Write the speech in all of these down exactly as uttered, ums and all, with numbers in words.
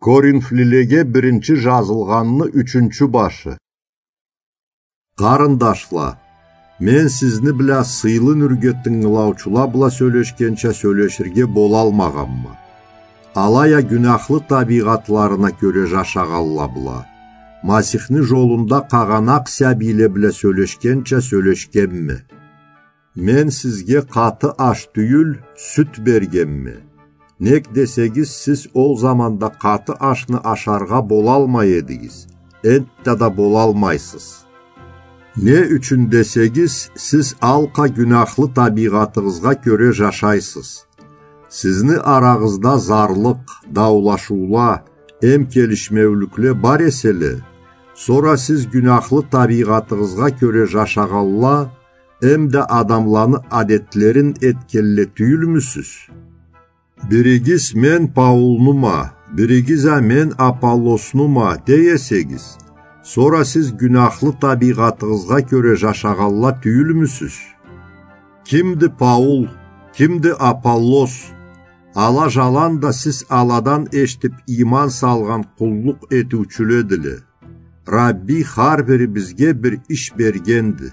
Коринфлилеге биринчи жазылгъанны ючюнчю башы. Къарындашла, мен сизни бла сыйлы нюрге тынгылаучула бла сёлешгенча сёлеширге болалмагъанма. Алай а гюнахлы табийгъатларына кёре жашагъанла бла, Масихни жолунда къагъанакъ сабийле бла сёлешгенча сёлешгенме. Мен сизге къаты аш тюйюл, сют бергенме. Нек десегиз, сиз ол заманда къаты ашны ашаргъа болалмай эдигиз, энтта да болалмайсыз. Не ючюн десегиз, сиз алкъа гюнахлы табийгъатыгъызгъа кёре жашайсыз. Сизни арагъызда зарлыкъ, даулашыула, эм келишмеулюкле бар эселе, сора сиз гюнахлы табийгъатыгъызгъа кёре жашагъанла, эм да адамланы адетлерин этгенле тюйюлмюсюз? Биригиз мен Паулнума, биригиз а мен Аполлоснума дей эсегиз, сора сиз гюнахлы табийгъатыгъызгъа кёре жашагъанла тюйюлмюсюз? Кимди Паул, кимди Аполлос? Ала жаланда сиз аладан эшитип иман салгъан къуллукъ этиучюледиле. Рабби хар бирибизге бир иш бергенди.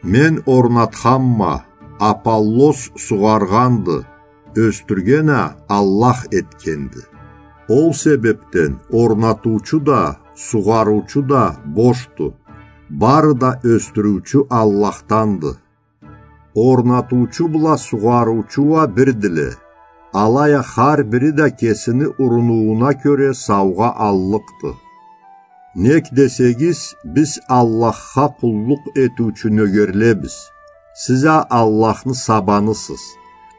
Мен орнатханма, Аполлос сугъаргъанды, ёсдюрген а Аллах этгенди. Ол себепден орнатыучу да, сугъарыучу да бошду. Бары да ёсдюрюучю Аллахданды. Орнатыучу бла сугъарыучу уа бирдиле. Алай а хар бири да кесини урунууна кёре саугъа аллыкъды. Нек десегиз, биз Аллахха къуллукъ этиучю нёгерлебиз. Сиз а Аллахны сабанысыз,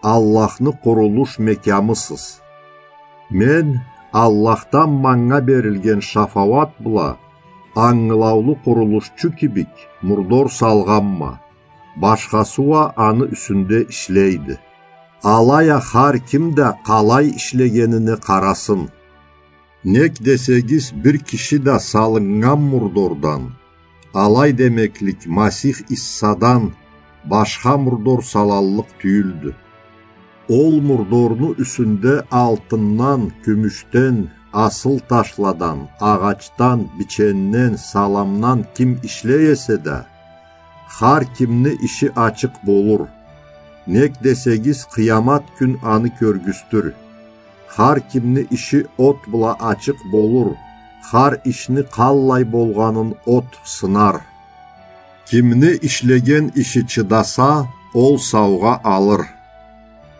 Аллахны къурулуш мекямысыз. Мен Аллахдан манга берилген шафауат бла ангылаулу къурулушчу кибик мурдор салгъанма. Башхасы уа аны юсюнде ишлейди. Алай а хар ким да къалай ишлегенине къарасын. Нек десегиз, бир киши да салыннган мурдордан, алай демеклик Масих Иссадан башха мурдор салаллыкъ тюйюлдю. Ол мурдорну юсюнде алтындан, кюмюшден, асыл ташладан, агъачдан, биченден, саламдан ким ишлей эсе да, хар кимни иши ачыкъ болур. Нек десегиз, къыямат кюн аны кёргюзтюр. Хар кимни иши от бла ачыкъ болур, хар ишни къаллай болгъанын от сынар. Кимни ишлеген иши чыдаса, ол саугъа алыр.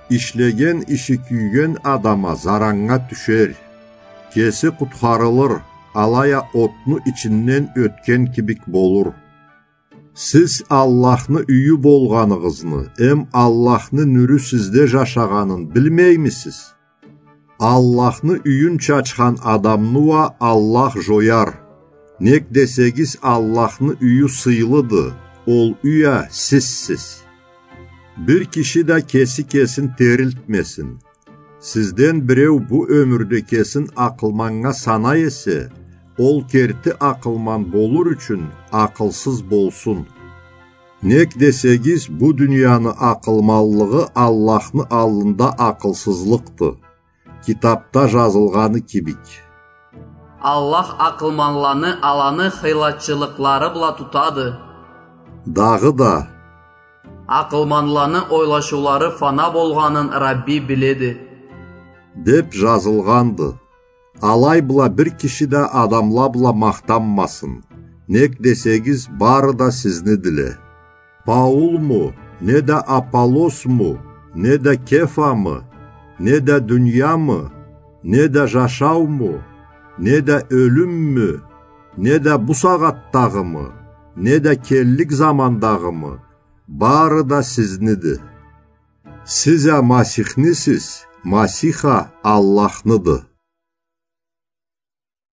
Ишлеген иши кюйген адама зараннга тюшер. Кеси къутхарылыр, алай а отну ичинден ётген кибик болур. Сиз Аллахны юйю болгъаныгъызны эм Аллахны нюрю сизде жашагъанын билмеймисиз? Аллахны юйюн чачхан адамны уа Аллах жояр. Нек десегиз, Аллахны юйю сыйлыды, ол юй а сизсиз. Бир киши да кеси кесин терилтмесин. Сизден биреу бу ёмюрде кесин акъылманнга санай эсе, ол керти акъылман болур ючюн акъылсыз болсун. Нек десегиз, бу дунияны акъылманлыгъы Аллахны аллында акъылсызлыкъды. Китапда жазылгъаны кибик: Аллах акъылманланы аланы хыйлачылыкълары бла тутады. Дагъыда: Акъылманланы ойлашыулары фана болгъанын Рабби биледи, деп жазылгъанды. Алай бла бир киши да адамла бла махтанмасын. Нек десегиз, бары да сизнидиле. Паулму, неда Аполлосму, неда Кефамы, неда дуниямы, неда жашауму, неда ёлюммю, неда бу сагъатдагъымы, неда келлик замандагъымы, бары да сизниди. Сиз а Масихнисиз, Масих а Аллахныды.